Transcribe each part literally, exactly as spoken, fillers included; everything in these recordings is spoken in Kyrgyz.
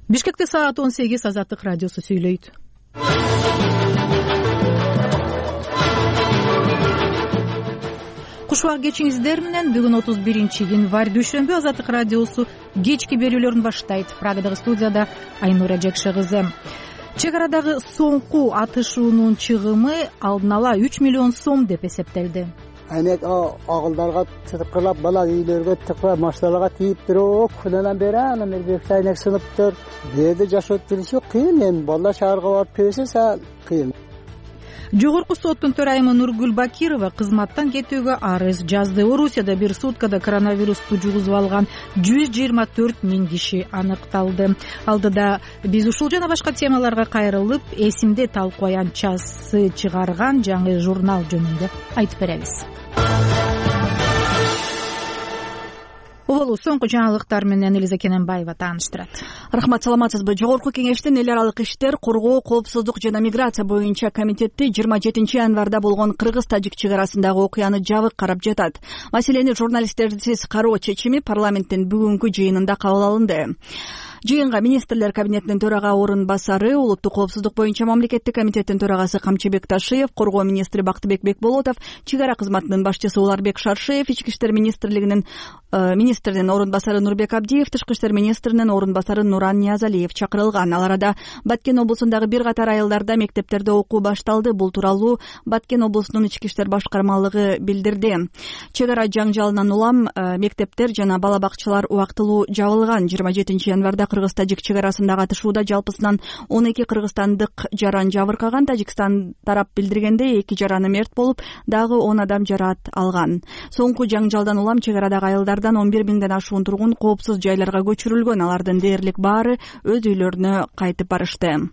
Бишкекте саат он сегиз, Азаттык радиосу сүйлөйт. Куш убак кечиңиздер менен. Бүгүн отуз биринчи январь дүйшөмбү. Азаттык радиосу кечки берүүлөрүн баштайт. Прагадагы студияда Айнура Жекше кызы. Чек арадагы соңку атышуунун чыгымы алдын ала үч миллион сом деп эсептелди. Айнек агылдарга тыкылап, бала үйлөргө тыкылап, машиналарга тийип туруп, күнөнөн бери анан бир айнек сыныптыр. Жерде жашап жүрүшү кыйын, эми балдар шаарга барып келсе кыйын. Жогорку соттун төрайымы Нургүл Бакирова кызматтан кетүүгө арыз жазды. Орусияда бир суткада коронавирусту жугузуп алган жүз жыйырма төрт миң киши аныкталды. Алдыда биз ушул жана башка темаларга кайрылып, эсимде талкуаянчасы чыгарган жаңы журнал жөнүндө айтып беребиз. Болу соңку жаңылыктар менен Элиза Кененбаева тааныштырат. Рахмат, саламатсызбы? Жогорку кеңештин эл аралык иштер, коргоо, коопсуздук жана миграция боюнча комитети жыйырма жетинчи январда болгон кыргыз-тажик чек арасындагы окуяны жабык карап жатат. Маселени журналисттерсиз кароо чечими парламенттин бүгүнкү жыйынында кабыл алынды. Жыйынга министрлер кабинетинин төрага орун басары, улуттук коопсуздук боюнча мамлекеттик комитеттин төрагасы Камчыбек Ташиев, коргоо министри Бактыбек Бекболотов, чек ара кызматынын башчысы Уларбек Шаршеев, ички иштер министрлигинин министринин орун басары Нурбек Абдиев, тышкы иштер министринин орун басары Нуран Ниязалиев чакырылган. Ал арада Баткен облусундагы бир катар айылдарда мектептерде окуу башталды. Бул тууралуу Баткен облусунун ички иштер башкармалыгы билдирди. Чек ара жаңжалынан улам мектептер жана бала бакчалар убактылуу жабылган. жыйырма жетинчи январда кыргыз-тажик чек арасындагы атышууда жалпысынан он эки кыргызстандык жаран жабыркаган. Тажикстан тарап билдиргендей, эки жараны мерт болуп, дагы он адам жараат алган. Соңку жаңжалдан улам чек арадагы айылдардан он бир миңден ашуун тургун коопсуз жайларга көчүрүлгөн. Алардын дээрлик баары өз үйлөрүнө кайтып барышты.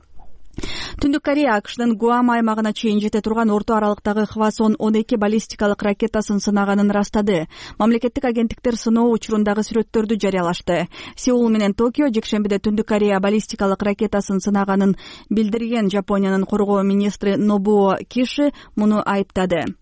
Түндүк Корея АКШнын Гуам аймагына чейин жете турган орто аралыктагы Хвасон он эки баллистикалык ракетасын сынаганын ырастады. Мамлекеттик агенттиктер сыноо учурундагы сүрөттөрдү жарыялашты. Сеул менен Токио жекшембиде Түндүк Корея баллистикалык ракетасын сынаганын билдирген. Жапониянын коргоо министри Нобуо Киши муну айыптады.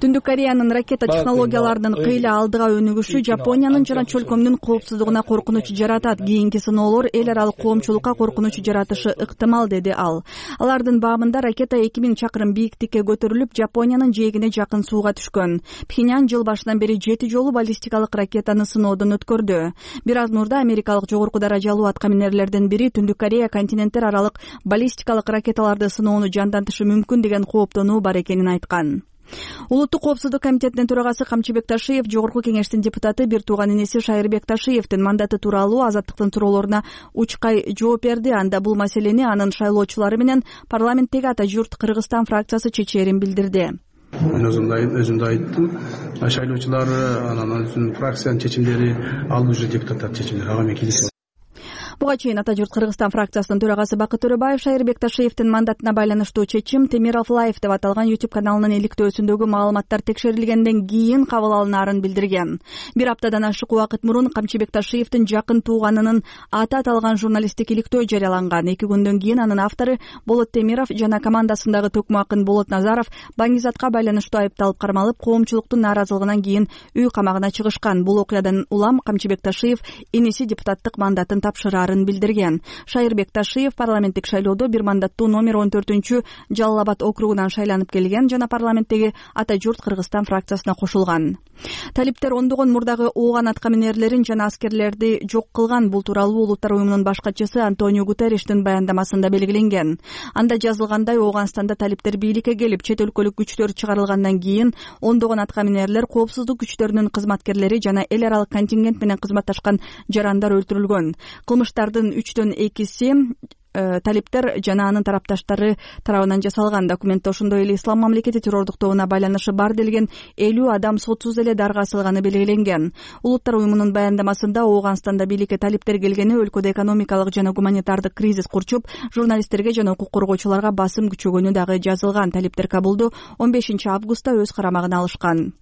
Түндүк Кореянын ракета технологияларынын кыйла алдыга өнүгүшү Жапониянын жана чөлкөмдүн коопсуздугуна коркунуч жаратат. Кийинки сыноолор эл аралык коомчулукка коркунуч жаратышы ыктымал, деди ал. Алардын баамында ракета эки миң чакырым бийиктикке көтөрүлүп, Жапониянын жээгине жакын сууга түшкөн. Пхеньян жыл башынан бери жети жолу баллистикалык ракетаны сыноодон өткөрдү. Бир аз мурда америкалык жогорку даражалуу аткаминерлердин бири Түндүк Корея континенттер аралык баллистикалык ракеталарды сыноону жандантышы мүмкүн деген кооптонуу бар экенин айткан. Улуттук коопсуздук комитетинин төрагасы Камчыбек Ташиев жогорку кеңештин депутаты бир тууган инеси Шайырбек Ташиевдин мандаты тууралуу Азаттыктын суроолоруна учкай жооп берди. Анда бул маселени анын шайлоочулары менен парламенттеги ата журт Кыргызстан фракциясы чечээрин билдирди. Мен өзүмдө айттым, шайлоочулар анан фракциянын чечимдери ал уже депутаттар чечимдери, ага мен келишем. Буга чейин ата журт Кыргызстан фракциясынын төрагасы Бакыт Төрөбаев Шайырбек Ташиевдин мандатына байланыштуу чечим Темиров Лайф деп аталган YouTube каналынын иликтөөсүндөгү маалыматтар текшерилгенден кийин кабыл алынаарын билдирген. Бир аптадан ашык убакыт мурун Камчыбек Ташиевдин жакын тууганынын аты аталган журналисттик иликтөө жарыяланган. Эки күндөн кийин анын автору Болот Темиров жана командасындагы төкмө акын Болот Назаров баңгизатка байланыштуу айыпталып кармалып, коомчулуктун нааразылыгынан кийин үй камагына чыгышкан. Бул окуядан улам Камчыбек Ташиев иниси депутаттык мандатын тапшыраар билдирген. Шайырбек Ташиев парламенттик шайлоодо бир мандаттуу номер он төртүнчү Жалал Абад округунан шайланып келген жана парламенттеги ата журт Кыргызстан фракциясына кошулган. Талиптер ондогон мурдагы ооган аткаминерлерин жана аскерлерди жок кылган. Бул тууралуу Улуттар уюмунун баш катчысы Антонио Гутерриштин баяндамасында белгиленген. Анда жазылгандай, Ооганстанда талиптер бийликке келип, чет өлкөлүк күчтөр чыгарылгандан кийин ондогон аткаминерлер, коопсуздук күчтөрүнүн кызматкерлери жана эл аралык контингент менен кызматташкан жарандар өлтүрүлгөн. Кылмыштардын үчтөн экиси талиптер жана анын тарапташтары тарабынан жасалган. Документте ошондой эле Ислам мамлекети террордук тобуна байланышы бар делген элүү адам сотсуз эле дарга асылганы белгиленген. Улуттар уюмунун баяндамасында Ооганстанда бийликке талиптер келгени өлкөдө экономикалык жана гуманитардык кризис курчуп, журналисттерге жана укук коргоочуларга басым күчөгөнү дагы жазылган. Талиптер Кабулду он бешинчи августта өз карамагына алышкан.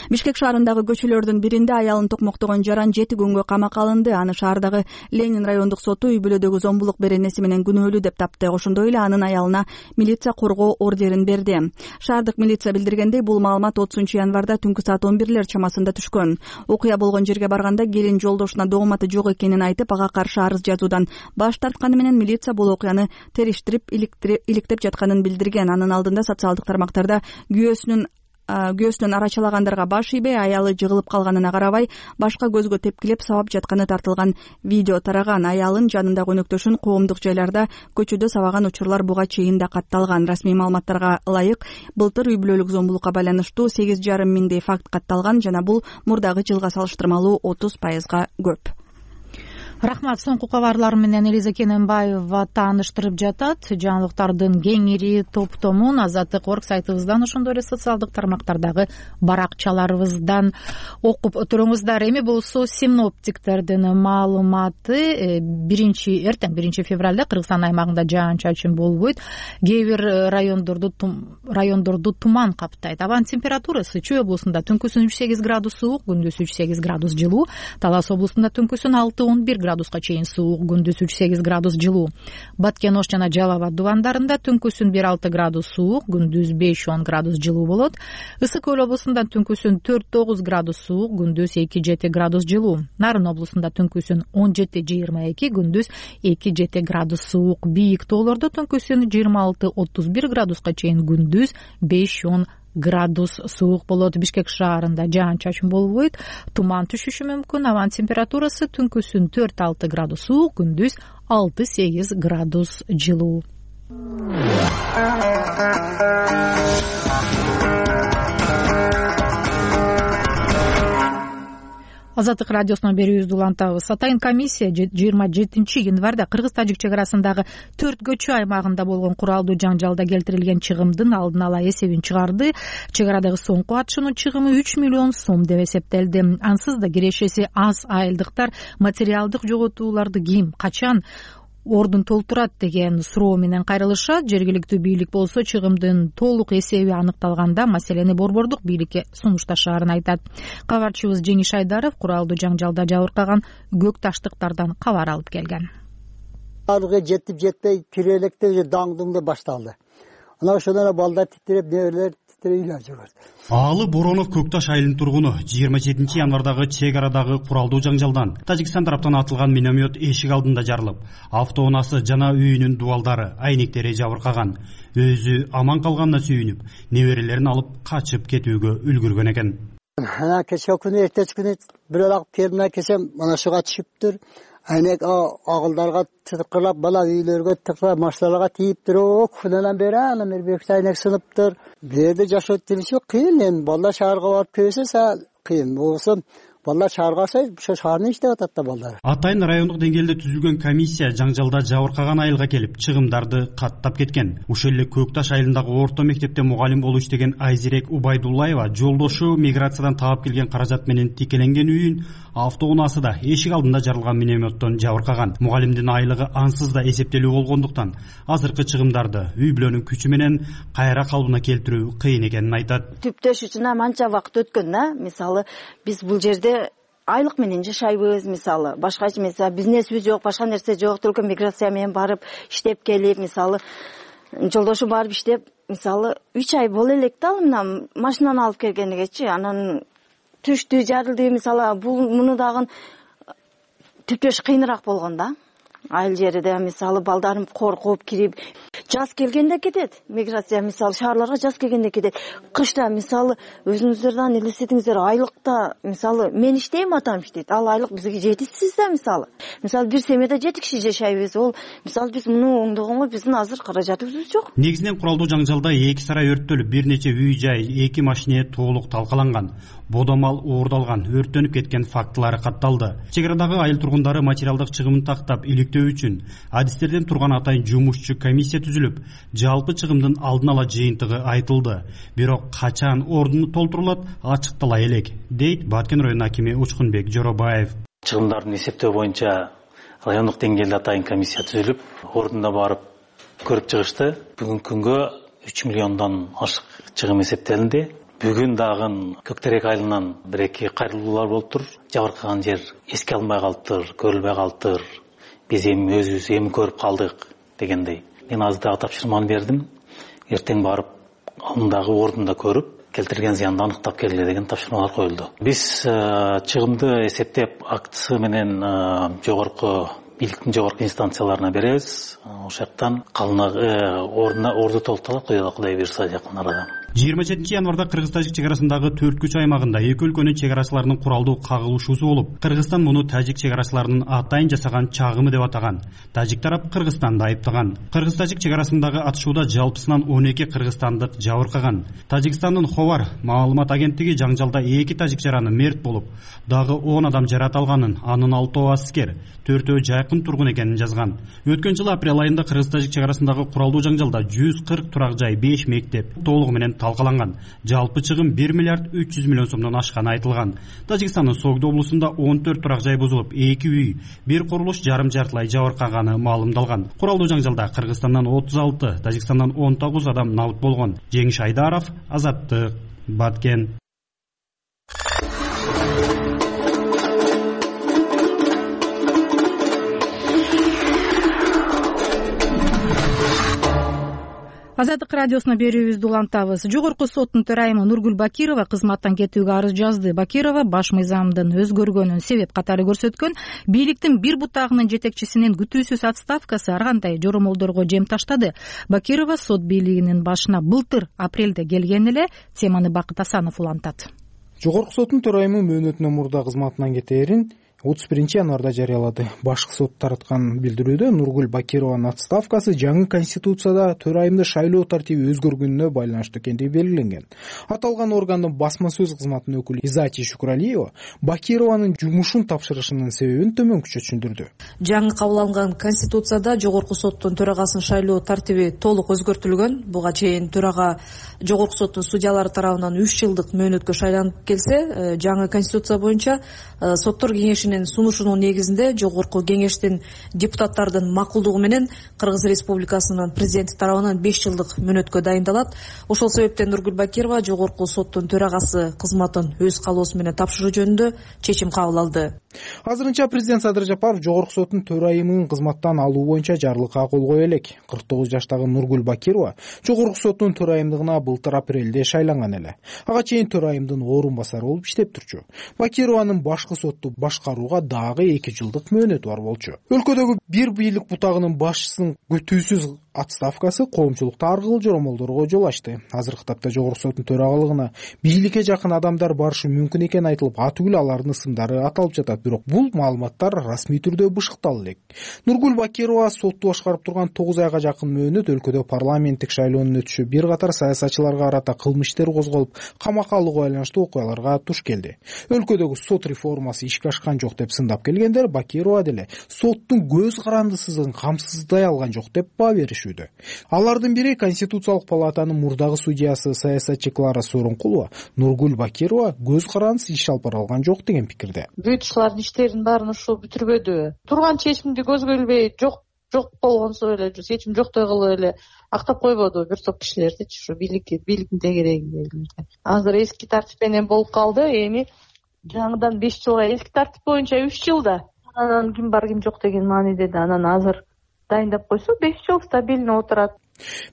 Бишкек шаарындагы көчөлөрдүн биринде аялын токмоктогон жаран жети күнгө камакка алынды. Аны шаардагы Ленин райондук соту үй бүлөдөгү зомбулук беренеси менен күнөөлүү деп тапты. Ошондой эле анын аялына милиция коргоо ордерин берди. Шаардык милиция билдиргендей, бул маалымат отузунчу январда түнкү саат он бирлер чамасында түшкөн. Окуя болгон жерге барганда келин жолдошуна дооматы жок экенин айтып, ага каршы арыз жазуудан баш тартканы менен милиция бул окуяны териштирип иликтеп жатканын билдирген. Анын алдында социалдык тармактарда күйөөсүнүн күйөөсүнөн арачалагандарга баш ийбей, аялы жыгылып калганына карабай, башка көзгө тепкилеп сабап жатканы тартылган видео тараган. Аялын жанындагы өнөктөшүн коомдук жайларда көчөдө сабаган учурлар буга чейин да катталган. Расмий маалыматтарга ылайык, былтыр үй бүлөлүк зомбулукка байланыштуу сегиз жарым миңдей факт катталган жана бул мурдагы жылга салыштырмалуу отуз пайызга көп. Рахмат. Соңку кабарлар менен Элиза Кененбаева тааныштырып жатат. Жаңылыктардын кеңири топтомун Азаттык орг сайтыбыздан, ошондой эле социалдык тармактардагы баракчаларыбыздан окуп туруңуздар. Эми болсо синоптиктердин маалыматы. Биринчи эртең биринчи февралда Кыргызстан аймагында жаан-чачын болбойт. Кээ бир райондорду райондорду туман каптайт. Абанын температурасы Чүй облусунда түнкүсүн үч сегиз градус суук, күндүз үч сегиз градус жылуу. Талас облусунда түнкүсүн алты он бир градуска чейин суук, күндүз үч сегиз градус жылуу. Баткен Ош жана Жалал абад дубандарында түнкүсүн бир алты градус суук, күндүз беш он градус жылуу болот. Ысык көл облусунда түнкүсүн төрт тогуз градус суук, күндүз эки жети градус жылуу. Нарын облусунда түнкүсүн он жети жыйырма эки, күндүз эки жети градус суук. Бийик тоолордо түнкүсүн жыйырма алты отуз бир градуска чейин, күндүз беш он градус суук болот. Бишкек шаарында жаан-чачын болбойт, туман түшүшү мүмкүн. Абанын температурасы түнкүсүн төрт алты градус суук, күндүз алты сегиз градус жылуу. Азаттык радиосунан берүүбүздү улантабыз. Атайын комиссия жыйырма жетинчи январда кыргыз-тажик чек арасындагы төрт көчө аймагында болгон куралдуу жаңжалда келтирилген чыгымдын алдын ала эсебин чыгарды. Чек арадагы соңку атышуунун чыгымы үч миллион сом деп эсептелди. Ансыз да кирешеси аз айылдыктар материалдык жоготууларды ким, качан ордун толтурат деген суроо менен кайрылышат. Жергиликтүү бийлик болсо чыгымдын толук эсеби аныкталганда маселени борбордук бийликке сунушташаарын айтат. Кабарчыбыз Жеңиш Айдаров куралдуу жаңжалда жабыркаган көк таштыктардан кабар алып келген. Алга жетип жетпей кирелекте даңдыңда башталды. Ана ошондон балдар титиреп, небелер титиреп жүрөт. Аалы Боронов Көкташ айылынын тургуну жыйырма жетинчи январдагы чек арадагы куралдуу жаңжалдан Тажикстан тараптан атылган миномет эшик алдында жарылып, автоунаасы жана үйүнүн дубалдары, айнектери жабыркаган. Өзү аман калганына сүйүнүп, неберелерин алып качып кетүүгө үлгүргөн экен. Ана кече күнү эртеч күнү бирок пермина кесем mana шуга түшүптүр. Айнек агылдарга тыкырлап, бала үйлөргө тыкырлап, машиналарга тийип туруп, күнөөнөн бери анан бир айнек сыныптыр. Берде жашоо тилиши кыйын, эми балдар шаарга барып келсе кыйын. Болсо балдар шаарга барса, ошо шаарны иштеп атат да балдар. Атайын райондук деңгээлде түзүлгөн комиссия жаңжалда жабыркаган айылга келип, чыгымдарды каттап кеткен. Ошол эле Көкташ айылындагы орто мектепте мугалим болуп иштеген Айзирек Убайдуллаева жолдошу миграциядан таап келген каражат менен тикеленген үйүн автоунаасы да эшик алдында жарылган минометтон жабыркаган. Мугалимдин айлыгы ансыз да эсептелүү болгондуктан азыркы чыгымдарды үй бүлөнүн күчү менен кайра калыбына келтирүү кыйын экенин айтат. Түптөш үчүн анча убакыт өткөн да. Мисалы биз бул жерде айлык менен жашайбыз, мисалы башка мисалы бизнесибиз жок, башка нерсе жок. Только миграция менен барып иштеп келип, мисалы жолдошу барып иштеп, мисалы үч ай боло элек да мына машинаны алып келгенигечи, анан түштү, жарылды. Мисалы бул муну дагы түптөш кыйыныраак болгон да. Айыл жерде мисалы балдарым коркуп кирип, жаз келгенде кетет. Миграция мисалы шаарларга жаз келгенде кетет. Кышта мисалы өзүңүздөрдөн элестетиңиздер, айлыкта мисалы мен иштейм, атам иштейт. Ал айлык бизге жетишсиз да мисалы. Мисалы бир семьяда жети киши жашайбыз. Ол мисалы биз муну оңдогонго биздин азыр каражатыбыз жок. Негизинен куралдуу жаңжалда эки сарай өрттөлүп, бир нече үй жай, эки машине толук талкаланган. Бодомал уурдалган, өрттөнүп кеткен фактылары катталды. Чек арадагы айыл тургундары материалдык чыгымын тактап иликтөө үчүн адистерден турган атайын жумушчу комиссия түзүлүп, жалпы чыгымдын алдын ала жыйынтыгы айтылды. Бирок качан ордуну толтурулат ачыктала элек, дейт Баткен район акими Учкунбек Жоробаев. Чыгымдардын эсептөө боюнча райондук деңгээлде атайын комиссия түзүлүп, ордунда барып көрүп чыгышты. Бүгүнкү күнгө үч миллиондон ашык чыгым эсептелинди. бүгүн дагы Көктерек айылынан бир эки кайрылуулар болуптур. Жабыркаган жер эске алынбай калыптыр, көрүлбөй калыптыр. Биз эми өзүбүз эми көрүп калдык дегендей. Мен азыр дагы тапшырманы бердим. Эртең барып, андагы ордунда көрүп, келтирген зыянды аныктап келгиле деген тапшырмалар коюлду. Биз чыгымды эсептеп, актысы менен жогорку бийликтин жогорку инстанцияларына беребиз. Ошол жактан калына ордуна орду толукталат, Кудай буйрса жакын арада. жыйырма жетинчи январда кыргыз-тажик чек арасындагы төрт күч аймагында эки өлкөнүн чек арачыларынын куралдуу кагылышуусу болуп, Кыргызстан муну тажик чек арачыларынын атайын жасаган чагымы деп атаган. Тажик тарап Кыргызстанды айыптаган. Кыргыз-тажик чек арасындагы атышууда жалпысынан он эки кыргызстандык жабыркаган. Тажикстандын Ховар маалымат агенттиги жаңжалда эки тажик жараны мерт болуп, дагы он адам жарат алганын, анын алтоо аскер, төртөө жайкын тургун экенин жазган. Өткөн жылы апрель айында кыргыз-тажик чек арасындагы куралдуу жаңжалда жүз кырк турак жай, беш мектеп толугу менен талкаланган. Жалпы чыгым бир миллиард үч жүз миллион сомдон ашканы айтылган. Тажикстандын Согду облусунда он төрт турак жай бузулуп, эки үй, бир курулуш жарым жартылай жабыркаганы маалымдалган. Куралдуу жаңжалда Кыргызстандан отуз алты, Тажикстандан он тогуз адам набыт болгон. Жеңиш Айдаров, Азаттык, Баткен. Азаттык радиосуна берүүбүздү улантабыз. Жогорку соттун төрайымы Нургүл Бакирова кызматтан кетүүгө арыз жазды. Бакирова баш мыйзамдын өзгөргөнүн себеп катары көрсөткөн. Бийликтин бир бутагынын жетекчисинин күтүүсүз отставкасы ар кандай жоромолдорго жем таштады. Бакирова сот бийлигинин башына былтыр апрелде келген эле. Теманы Бакыт Асанов улантат. Жогорку соттун төрайымы мөөнөтүнөн мурда кызматынан кетээрин отуз биринчи январда жарыялады. Башкы сот тараткан билдирүүдө Нургүл Бакированын отставкасы жаңы конституцияда төрайымды шайлоо тартиби өзгөргөнүнө байланыштуу экендиги белгиленген. Аталган органдын басма сөз кызматынын өкүлү Изати Шукуралиева Бакированын жумушун тапшырышынын себебин төмөнкүчө түшүндүрдү. Жаңы кабыл алынган конституцияда жогорку соттун төрагасын шайлоо тартиби толук өзгөртүлгөн. Буга чейин төрага жогорку соттун судьялары тарабынан үч жылдык мөөнөткө шайланып келсе, жаңы конституция боюнча соттор кеңешинин сунушунун негизинде жогорку кеңештин депутаттардын макулдугу менен Кыргыз Республикасынын президенти тарабынан беш жылдык мөөнөткө дайындалат. Ошол себептен Нургүл Бакирова жогорку соттун төрагасы кызматын өз каалоосу менен тапшыруу жөнүндө чечим кабыл алды. Азырынча президент Садыр Жапаров жогорку соттун төрайымын кызматтан алуу боюнча жарлыкка кол кое элек. кырк тогуз жаштагы Нургүл Бакирова жогорку соттун төрайымдыгына былтыр апрелде шайланган эле. Ага чейин төрайымдын орун басары болуп иштеп турчу. Бакированын башкы сотту башкарууга дагы эки жылдык мөөнөтү бар болчу. Өлкөдөгү бир бийлик бутагынын башчысынын күтүүсүз отставкасы коомчулукта ар кыл жоромолдорго жол ачты. Азыркы тапта жогорку соттун төрагалыгына бийликке жакын адамдар барышы мүмкүн экени айтылып, атүгүл алардын ысымдары аталып жатат. Бирок бул маалыматтар расмий түрдө бышыкталып элек. Нургүл Бакирова сотту башкарып турган тогуз айга жакын мөөнөт өлкөдө парламенттик шайлоонун өтүшү бир катар саясатчыларга карата кылмыш иштер козголуп, камакка алууга байланыштуу окуяларга туш келди. Өлкөдөгү сот реформасы ишке ашкан жок деп сындап келгендер Бакирова деле соттун көз карандысызын камсыздай алган жок деп баа беришүүдө. Алардын бири Конституциялык палатанын мурдагы судьясы саясатчы Клара Сооронкулова Нургүл Бакирова көз карандысыз иш алып бара алган жок деген пикирде. Бүйтүшлөрдүн иштерин баарын ушул бүтүрбөдү. Турган чечимди көзгө илбей жок жок болгонсо эле чечим жоктой кылып эле актап койбоду бир топ кишилердичи ушу бийликке бийликтин тегерегиндегилерди. Азыр эски тартип менен болуп калды. Эми жаңыдан беш жылга, эски тартип боюнча үч жылда. Анан ким бар ким жок деген мааниде да анан азыр дайындап койсо беш жыл стабильно отурат.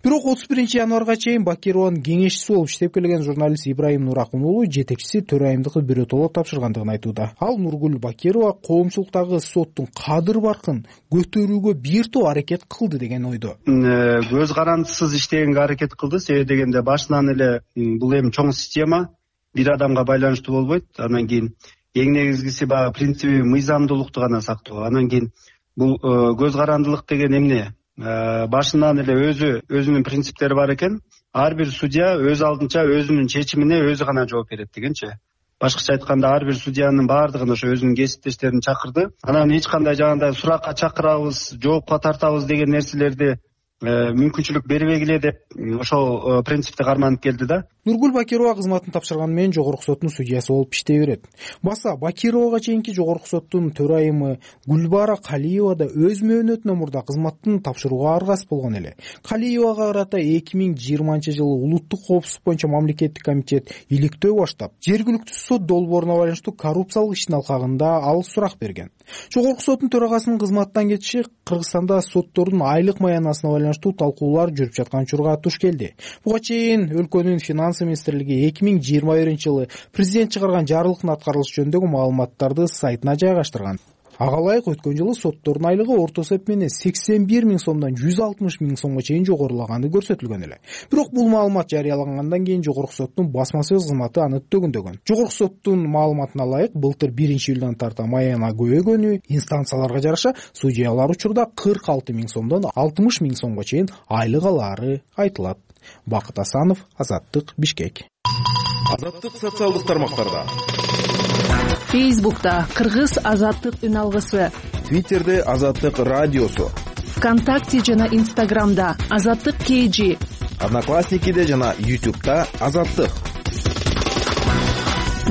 Бирок отуз биринчи январга чейин Бакированын кеңешчиси болуп иштеп келген журналист Ибраим Нуракун уулу жетекчиси төрайымдыкты бирөтөлө тапшыргандыгын айтууда. Ал Нургүл Бакирова коомчулуктагы соттун кадыр баркын көтөрүүгө бир топ аракет кылды деген ойдо. Көз карандысыз иштегенге аракет кылды. Себеби дегенде башынан эле бул эми чоң система бир адамга байланыштуу болбойт. Анан кийин эң негизгиси баягы принциби мыйзамдуулукту гана сактоо. Анан кийин бул көз карандылык деген эмне? Башынан эле өзү өзүнүн принциптери бар экен. Ар бир судья өз алдынча өзүнүн чечимине өзү гана жооп берет дегенчи. Башкача айтканда ар бир судьянын баардыгын ошо өзүнүн кесиптештерин чакырды. Анан эч кандай жагандай суракка чакырабыз, жоопко тартабыз деген нерселерди мүмкүнчүлүк бербегиле деп ошол принципти карманып келди да. Нургул Бакирова кызматын тапшырганы менен жогорку соттун судьясы болуп иштей берет. Баса Бакировага чейинки жогорку соттун төрайымы Гүлбара Калиева да өз мөөнөтүнөн мурда кызматтын тапшырууга аргасыз болгон эле. Калиевага карата эки миң жыйырманчы жылы улуттук коопсуздук боюнча мамлекеттик комитет иликтөө баштап, жергиликтүү сот долбооруна байланыштуу коррупциялык иштин алкагында ал сурак берген. Жогорку соттун төрагасынын кызматтан кетиши Кыргызстанда соттордун айлык маянасына байланыштуу талкуулар жүрүп жаткан учурга туш келди. Буга чейин өлкөнүн финанс министрлиги эки миң жыйырма биринчи жылы президент чыгарган жарлыктын аткарылышы жөнүндөгү маалыматтарды сайтына жайгаштырган. Ага ылайык өткөн жылы соттордун айлыгы орто эсеп менен сексен бир миң сомдон жүз алтымыш миң сомго чейин жогорулаганы көрсөтүлгөн эле. Бирок бул маалымат жарыялагандан кийин жогорку соттун басма сөз кызматы аны төгүндөгөн. Жогорку соттун маалыматына ылайык былтыр биринчи июлдан тарта маяна көбөгөнү инстанцияларга жараша судьялар учурда кырк алты миң сомдон алтымыш миң сомго чейин айлык алаары айтылат. Бакыт Асанов, Азаттык, Бишкек. Азаттык социалдык тармактарда. Фейсбукта Кыргыз Азаттык үн алгысы, Твиттерде Азаттык радиосу, ВКонтакте жана Инстаграмда Азаттык кей жи, Одноклассникиде жана Ютубта Азаттык.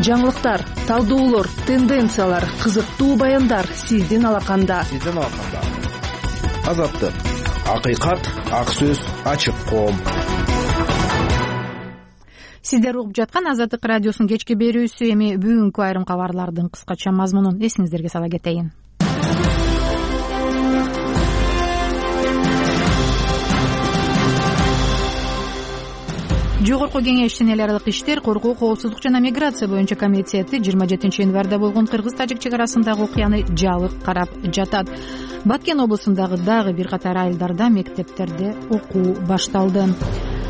Жаңылыктар, талдоолор, тенденциялар, кызыктуу баяндар сиздин алаканда. Сиздин алаканда. Азаттык. Акыйкат, ак сөз, ачык коом. Сиздер угуп жаткан Азаттык радиосунун кечки берүүсү. Эми бүгүнкү айрым кабарлардын кыскача мазмунун эсиңиздерге сала кетейин. Жогорку кеңештин эл аралык иштер, коргоо, коопсуздук жана миграция боюнча комитети жыйырма жетинчи январда болгон кыргыз-тажик чек арасындагы окуяны жабык карап жатат. Баткен облусундагы дагы бир катар айылдарда мектептерде окуу башталды.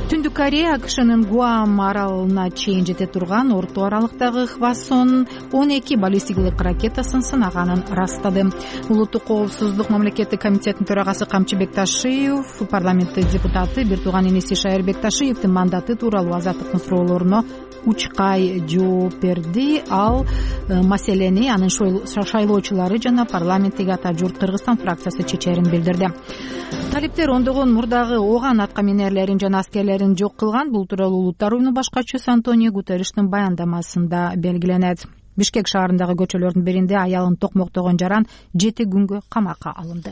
Түндүк Корея АКШнын Гуам аралына чейин жете турган орто аралыктагы Хвасон он эки баллистикалык ракетасын сынаганын ырастады. Улуттук коопсуздук мамлекеттик комитетинин төрагасы Камчы Бекташиев, парламенттик депутаты бир тууган иниси Шайыр Бекташиевдин мандаты тууралуу Азаттыктын суроолоруна учкай жооп берди. Ал маселени анын шайлоочулары жана парламенттеги ата журт Кыргызстан фракциясы чечерин билдирди. Талиптер ондогон мурдагы ооган атка минерлерин жана аскерлерин жок кылган. Бул тууралуу Улуттар уюмунун башкачысы Антонио Гутерриштин баяндамасында белгиленет. Бишкек шаарындагы көчөлөрдүн биринде аялын токмоктогон жаран жети күнгө камакка алынды.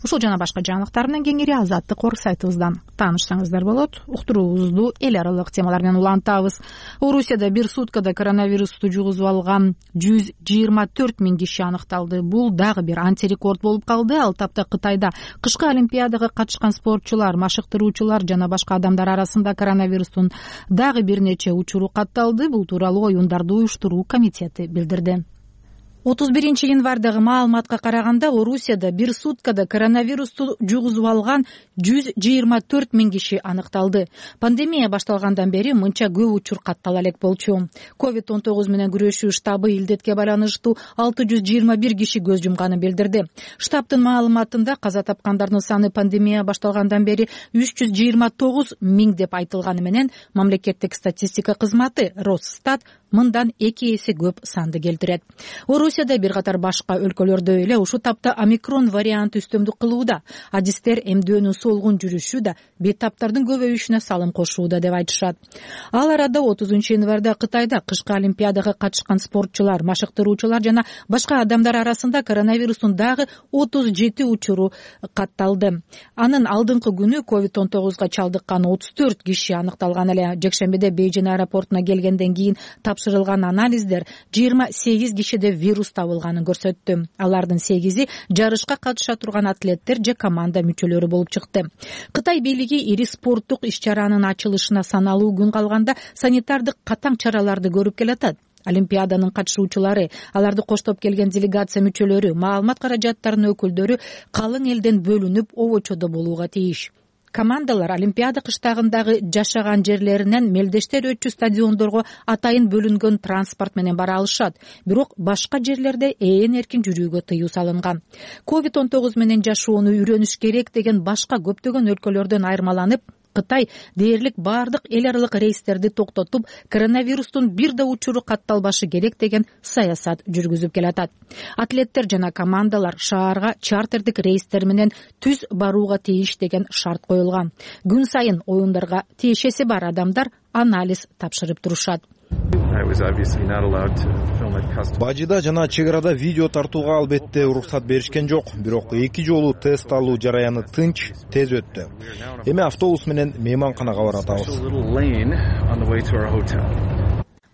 Ушул жана башка жаңылыктар менен кеңири Азаттык орг сайтыбыздан таанышсаңыздар болот. Уктуруубузду эл аралык темалар менен улантабыз. Орусияда бир суткада коронавирусту жугузуп алган жүз жыйырма төрт миң киши аныкталды. Бул дагы бир антирекорд болуп калды. Ал тапта Кытайда кышкы олимпиадага катышкан спортчулар, машыктыруучулар жана башка адамдар арасында коронавирустун дагы бир нече учуру катталды. Бул тууралуу оюндарды уюштуруу комитети билдирди. отуз биринчи январдагы маалыматка караганда Орусияда бир суткада коронавирусту жугузуп алган жүз жыйырма төрт миң киши аныкталды. Пандемия башталгандан бери мынча көп учур каттала элек болчу. ковид он тогуз менен күрөшүү штабы илдетке байланыштуу алты жүз жыйырма бир киши көз жумганын билдирди. Штабтын маалыматында каза тапкандардын саны пандемия башталгандан бери үч жүз жыйырма тогуз миң деп айтылганы менен мамлекеттик статистика кызматы Росстат мындан эки эсе көп санды келтирет. Орусияда бир катар башка өлкөлөрдө эле ушул тапта омикрон варианты үстөмдүк кылууда. Адистер эмдөөнүн солгун жүрүшү да бет таптардын көбөйүшүнө салым кошууда деп айтышат. Ал арада отузунчу январда Кытайда кышкы олимпиадага катышкан спортчулар, машыктыруучулар жана башка адамдар арасында коронавирустун дагы отуз жети учуру катталды. Анын алдыңкы күнү ковид он тогузга чалдыккан отуз төрт киши аныкталган эле. Жекшембиде Бейжин аэропортуна келгенден кийин тапшырылган анализдер жыйырма сегиз кишиде вирус табылганын көрсөттү. Алардын сегизи жарышка катыша турган атлеттер же команда мүчөлөрү болуп чыкты. Кытай бийлиги ири спорттук иш-чаранын ачылышына саналуу күн калганда санитардык катаң чараларды көрүп келатат. Олимпиаданын катышуучулары, аларды коштоп келген делегация мүчөлөрү, маалымат каражаттарынын өкүлдөрү калың элден бөлүнүп обочодо болууга тийиш. Командалар Олимпиада кыштагындагы жашаган жерлеринен мелдештер өтчү стадиондорго атайын бөлүнгөн транспорт менен бара алышат. Бирок башка жерлерде ээн эркин жүрүүгө тыюу салынган. ковид он тогуз менен жашоону үйрөнүш керек деген башка көптөгөн өлкөлөрдөн айырмаланып, Кытай дээрлик баардык эл аралык рейстерди токтотуп, коронавирустун бир да учуру катталбашы керек деген саясат жүргүзүп келатат. Атлеттер жана командалар шаарга чартердик рейстер менен түз барууга тийиш деген шарт коюлган. Күн сайын оюндарга тиешеси бар адамдар анализ тапшырып турушат. Бажыда жана чек арада видео тартууга албетте уруксат беришкен жок, бирок эки жолу тест алуу жараяны тынч, тез өттү. Эми автобус менен мейманканага баратабыз,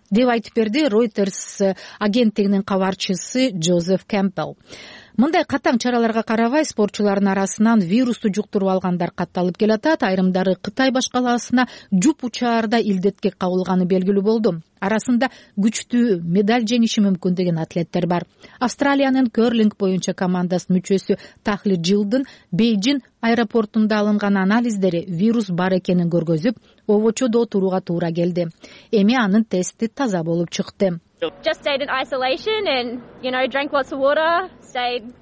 деп айтып берди Reuters агенттигинин кабарчысы Джозеф Кэмпбелл. Мындай катаң чараларга карабай, спортчулардын арасынан вирусту жуктуруп алгандар катталып келатат. Айрымдары Кытай башкаласына жуп учаарда илдетке кабылганы белгилүү болду. Арасында күчтүү медаль жеңиши мүмкүн деген атлеттер бар. Австралиянын керлинг боюнча командасынын мүчөсү Тахли Джилдын Бейжин аэропортунда алынган анализдери вирус бар экенин көргөзүп, обочодо отурууга туура келди. Эми анын тести таза болуп чыкты.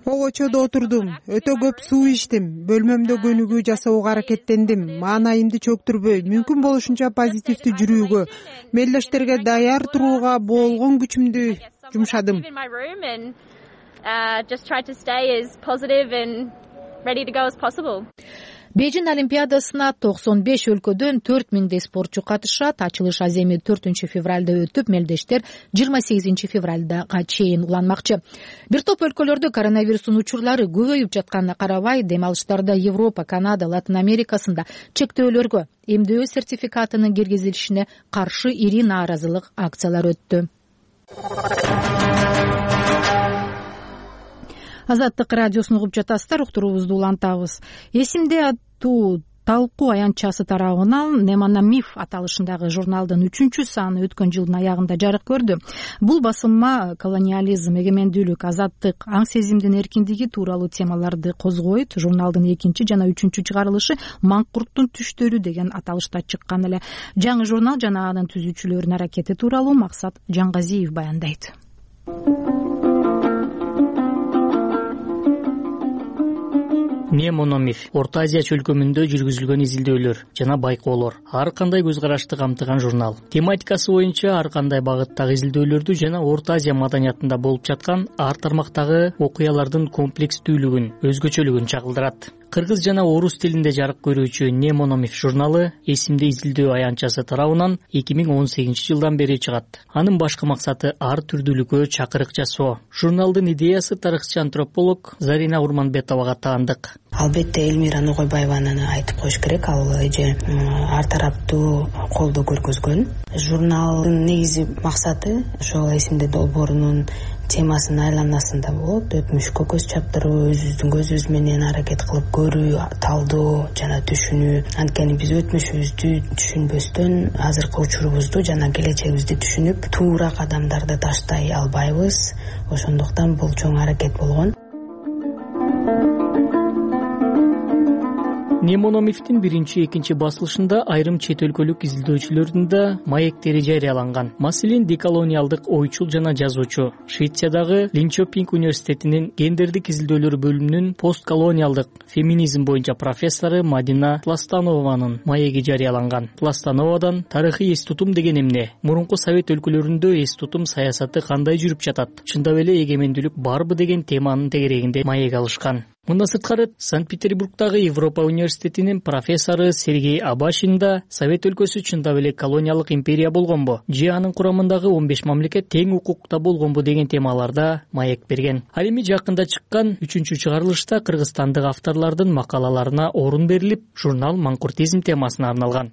Обочодо отурдум, өтө көп суу ичтим, бөлмөмдө көнүгүү жасоого аракеттендим, маанайымды чөктүрбөй, мүмкүн болушунча позитивдүү жүрүүгө, мелдештерге даяр турууга болгон күчүмдү жумшадым. Бейжин олимпиадасына токсон беш өлкөдөн төрт миңдей спортчу катышат. Ачылыш аземи төртүнчү февралда өтүп, мелдештер жыйырма сегизинчи февралга чейин уланмакчы. Бир топ өлкөлөрдө коронавирустун учурлары көбөйүп жатканына карабай, дем алыштарда Европа, Канада, Латын Америкасында чектөөлөргө, эмдөө сертификатынын киргизилишине каршы ири нааразылык акциялар өттү. Азаттык радиосун угуп жатасыздар, уктуруубузду улантабыз. Эсимде аттуу талкуу аянтчасы тарабынан Немана Миф аталышындагы журналдын үчүнчү саны өткөн жылдын аягында жарык көрдү. Бул басылма колониализм, эгемендүүлүк, азаттык, аң сезимдин эркиндиги тууралуу темаларды козгойт. Журналдын экинчи жана үчүнчү чыгарылышы Маңкурттун түштөрү деген аталышта чыккан эле. Жаңы журнал жана анын түзүүчүлөрүнүн аракети тууралуу Максат Жаңгазиев баяндайт. Немономиф Орто Азия чөлкөмүндө жүргүзүлгөн изилдөөлөр жана байкоолор, ар кандай көз карашты камтыган журнал. Тематикасы боюнча ар кандай багыттагы изилдөөлөрдү жана Орто Азия маданиятында болуп жаткан ар тармактагы окуялардын комплекстүүлүгүн, өзгөчөлүгүн чагылдырат. Кыргыз жана орус тилинде жарык көрүүчү Немономиф журналы эсимде изилдөө аянтчасы тарабынан эки миң он сегизинчи жылдан бери чыгат. Анын башкы максаты ар түрдүүлүккө чакырык жасоо. Журналдын идеясы тарыхчы антрополог Зарина Урманбетовага таандык. Албетте Элмира Ногойбаеваны айтып коюш керек, ал эже ар тараптуу колдоо көргөзгөн. Журналдын негизи максаты ошол эсимде долбоорунун темасынын айланасында болот. Өтмүшкө көз чаптыруу, өзүбүздүн көзүбүз менен аракет кылып көрүү, талдоо жана түшүнүү. Анткени биз өтмүшүбүздү түшүнбөстөн азыркы учурубузду жана келечегибизди түшүнүп, туура кадамдарды таштай албайбыз. Ошондуктан бул чоң аракет болгон. Немономифтин биринчи, экинчи басылышында айрым чет өлкөлүк изилдөөчүлөрдүн да маектери жарыяланган. Маселен, деколониалдык ойчул жана жазуучу, Швециядагы Линчопинг университетинин гендердик изилдөөлөр бөлүмүнүн постколониалдык феминизм боюнча профессору Мадина Пластанованын маеги жарыяланган. Пластановадан тарыхый эс тутум деген эмне? Мурунку совет өлкөлөрүндө эс тутум саясаты кандай жүрүп жатат? Чындап эле эгемендүүлүк барбы деген теманын тегерегинде маек алышкан. Мындан сырткары, Санкт-Петербургдагы Европа университетинин профессору Сергей Абашин да Совет өлкөсү чындап эле колониялык империя болгонбу, же анын курамындагы он беш мамлекет тең укукта болгонбу деген темаларда маек берген. Ал эми жакында чыккан үчүнчү чыгарылышта кыргызстандык авторлордун макалаларына орун берилип, журнал маңкуртизм темасына арналган.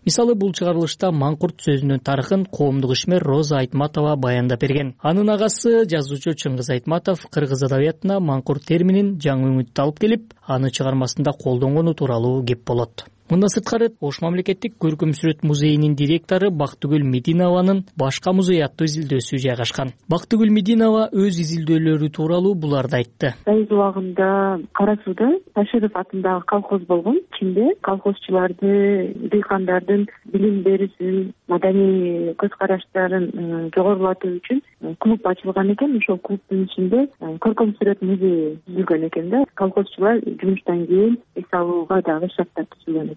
Мисалы, бул чыгарылышта маңкурт сөзүнүн тарыхын коомдук ишмер Роза Айтматова баяндап берген. Анын агасы жазуучу Чыңгыз Айтматов кыргыз адабиятына маңкурт терминин жаңы үмүттү алып келип, аны чыгармасында колдонгону тууралуу кеп болот. Мындан сырткары, Ош мамлекеттик көркөм сүрөт музейинин директору Бактыгүл Мединованын башка музей аттуу изилдөөсү жайгашкан. Бактыгүл Мединова өз изилдөөлөрү тууралуу буларды айтты. Союз убагында Кара сууда Таширов атындагы колхоз болгон. Ичинде колхозчуларды, дыйкандардын билим берүүсүн, маданий көз караштарын жогорулатуу үчүн клуб ачылган экен. Ошол клубдун ичинде көркөм сүрөт музейи түзүлгөн экен да. Колхозчулар жумуштан кийин эс алууга дагы шарттар түзүлгөн.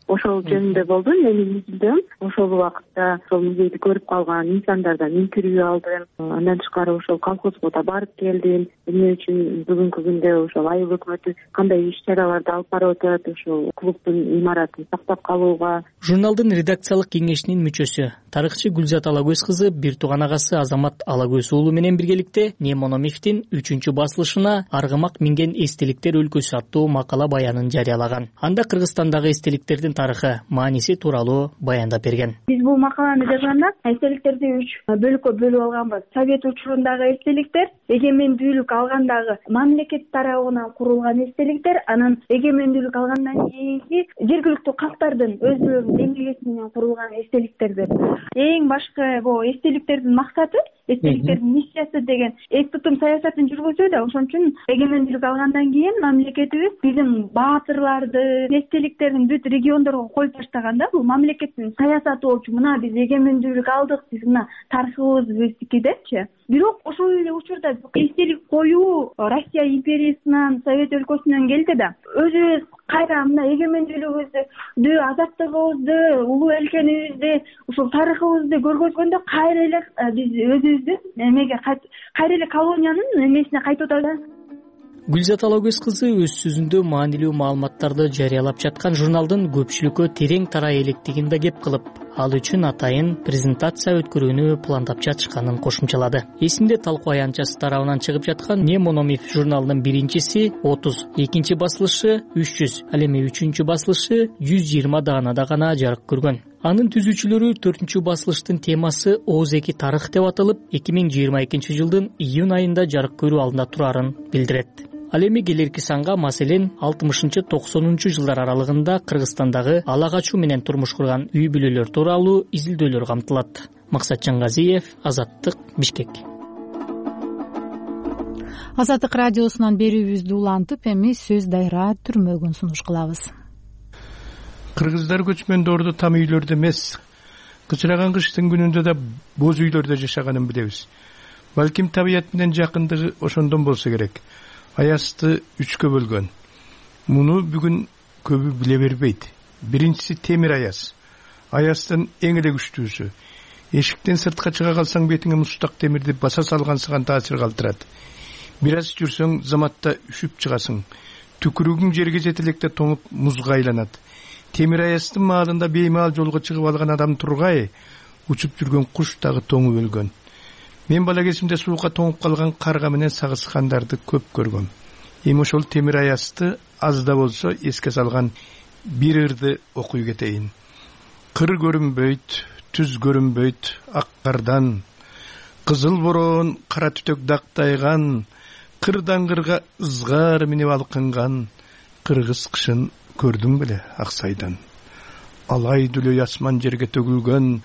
ошол жөнүндө болду менин изилдөөм. Ошол убакытта ошол музейди көрүп калган инсандардан интервью алдым. Андан тышкары ошол колхозго да барып келдим. Эмне үчүн бүгүнкү күндө ошол айыл өкмөтү кандай иш чараларды алып барып атат ошол клубдун имаратын сактап калууга. Журналдын редакциялык кеңешинин мүчөсү, тарыхчы Гүлзат Алагөз кызы бир тууган агасы Азамат Алагөз уулу менен биргеликте Немономевдин үчүнчү басылышына Аргымак минген эстеликтер өлкөсү аттуу макала баянын жарыялаган. Анда Кыргызстандагы эстеликтердин тарыхы, мааниси тууралуу баяндап берген. Биз бул макаланы жазганда эстеликтерди үч бөлүккө бөлүп алганбыз. Совет учурундагы эстеликтер, эгемендүүлүк алгандагы мамлекет тарабынан курулган эстеликтер, анан эгемендүүлүк алгандан кийинки жергиликтүү калктардын өзүлөрүнүн эмгеги менен курулган эстеликтер деп. Эң башкы бул эстеликтердин максаты, эстеликтердин миссиясы деген эк тутум саясатын жүргүзүүдө. Ошон үчүн эгемендүүлүк алгандан кийин мамлекетибиз биздин баатырларды, эстеликтердин бүт региондорго коюп таштаганда, бул мамлекеттин саясаты болчу. Мына биз эгемендүүлүк алдык, биз мына тарыхыбыз биздики депчи. Бирок ошол эле учурда эстелик коюу Россия империясынан, Совет өлкөсүнөн келди да. Өзүбүз кайра мына эгемендүүлүгүбүздү, азаттыгыбызды, улуу элкенибизди, ушул тарыхыбызды көргөзгөндө кайра эле биз өзүбүздүн эмеге кайра эле колониянын эмесине кайтып атабыз. Гүлзат Алагөз кызы өз сөзүндө маанилүү маалыматтарды жарыялап жаткан журналдын көпчүлүккө терең тарай электигин да кеп кылып, ал үчүн атайын презентация өткөрүүнү пландап жатышканын кошумчалады. Эсинде талкуу аянтчасы тарабынан чыгып жаткан Немономев журналынын биринчиси отуз, экинчи басылышы үч жүз, ал эми үчүнчү басылышы жүз жыйырма даанада гана жарык көргөн. Анын түзүүчүлөрү төртүнчү басылыштын темасы Ооз-эки тарых деп аталып, эки миң жыйырма экинчи жылдын июнь айында жарык көрүү алдында турарын билдирет. Ал эми келерки санга, маселен, алтымышынчы токсонунчу жылдар аралыгында Кыргызстандагы ала качуу менен турмуш курган үй бүлөлөр тууралуу изилдөөлөр камтылат. Максат Жангазиев, Азаттык, Бишкек. Азаттык радиосунан берүүбүздү улантып, эми сөз дайра түрмөгүн сунуш кылабыз. Кыргыздар көчмөндөрдө там үйлөрдө эмес, кычыраган кыштын күнүндө да боз үйлөрдө жашаганын билебиз. Балким табият менен жакындыгы ошондон болсо керек. Аязды үчкө бөлгөн. Муну бүгүн көбү биле бербейт. Биринчиси темир аяз. Аяздын эң эле күчтүүсү. Эшиктен сыртка чыга калсаң бетиңе мустак темирди баса салгансыган таасир калтырат. Бир аз жүрсөң заматта үшүп чыгасың. Түкүрүгүң жерге жете электе тоңуп музга айланат. Темир аяздын маалында беймаал жолго чыгып алган адам тургай, учуп жүргөн куш дагы тоңуп өлгөн. Мен бала кезимде суукка тоңуп калган карга менен сагышкандарды көп көргөм. Эми ошол темир аязды аз да болсо эске салган бир ырды окуй кетейин. Кыр көрүнбөйт, түз көрүнбөйт ак кардан, кызыл бороон кара түтөк дактайган, кырдан кырга ызгар минип алкынган, кыргыз кышын көрдүң беле Аксайдан. Алай дүлөй асман жерге төгүлгөн,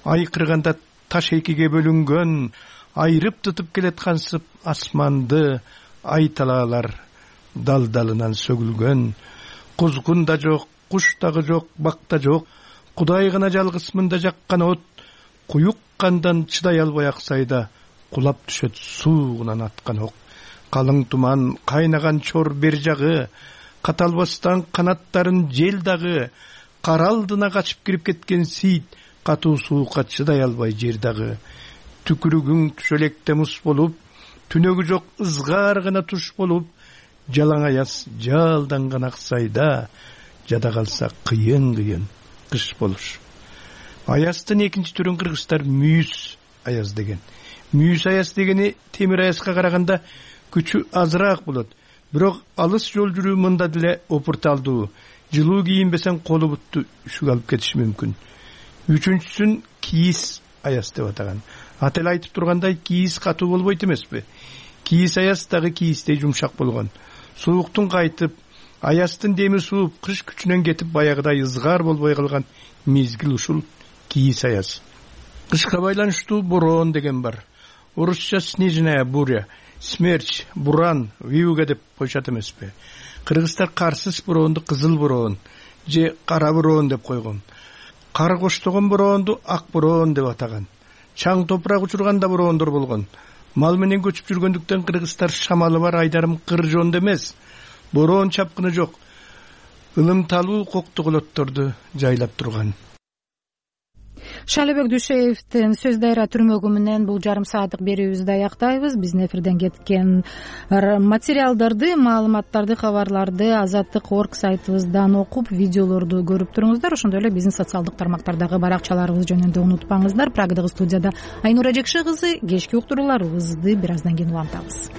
ай кырганда таш экиге бөлүнгөн, айрып тутуп келаткансып асманды ай талаалар дал-далынан сөгүлгөн. Кузгун да жок, куш дагы жок, бак да жок, Кудай гана жалгыз мында жаккан от, куюк кандан чыдай албай Аксайда кулап түшөт суугунан аткан ок. Калың туман, кайнаган чор бер жагы, каталбастан канаттарын жел дагы, кар алдына качып кирип кеткен сийит, катуу суукка чыдай албай жер дагы. Түкүрүгүң түшөлекте мус болуп, түнөгү жок ызгар гана туш болуп, жалаң аяз жалданган Аксайда жада калса кыйын-кыйын кыш болуш. Аяздын экинчи түрүн кыргыздар мүйүз аяз деген. Мүйүз аяз дегени темир аязга караганда күчү азыраак болот. Бирок алыс жол жүрүү мында деле опурталдуу. Жылуу кийинбесең колу бутту үшүк алып кетиши мүмкүн. Үчүнчүсүн кийиз аяз деп атаган. Ат эле айтып тургандай, кийиз катуу болбойт эмеспи? Кийиз аяз дагы кийиздей жумшак болгон. Сууктун кайтып, аяздын деми сууп, кыш күчүнөн кетип баягыдай ызгар болбой калган мезгил ушул кийиз аяз. Кышка байланыштуу бороон деген бар. Орусча снежная буря, смерч, буран, вьюга деп коюшат эмеспи? Кыргыздар карсыз бороонду кызыл бороон же кара бороон деп койгон. Кар коштогон бороонду ак бороон деп атаган. Чаң топурак учурганда бороондор болгон. Мал менен көчүп жүргөндүктөн кыргыздар шамалы бар айдарым кыр жоонду эмес. Бороон чапкыны жок. ылымталуу коктуголотторду жайлап турган. Шайлообек Дүйшеевдин сөз дайра түрмөгү менен бул жарым сааттык берүүбүздү аяктайбыз. Биздин эфирден кеткен материалдарды, маалыматтарды, кабарларды азаттык орг сайтыбыздан окуп, видеолорду көрүп туруңуздар. Ошондой эле биздин социалдык тармактардагы баракчаларыбыз жөнүндө унутпаңыздар. Прагадагы студияда Айнура Жекше кызы, кечки уктурууларыбызды бир аздан кийин улантабыз.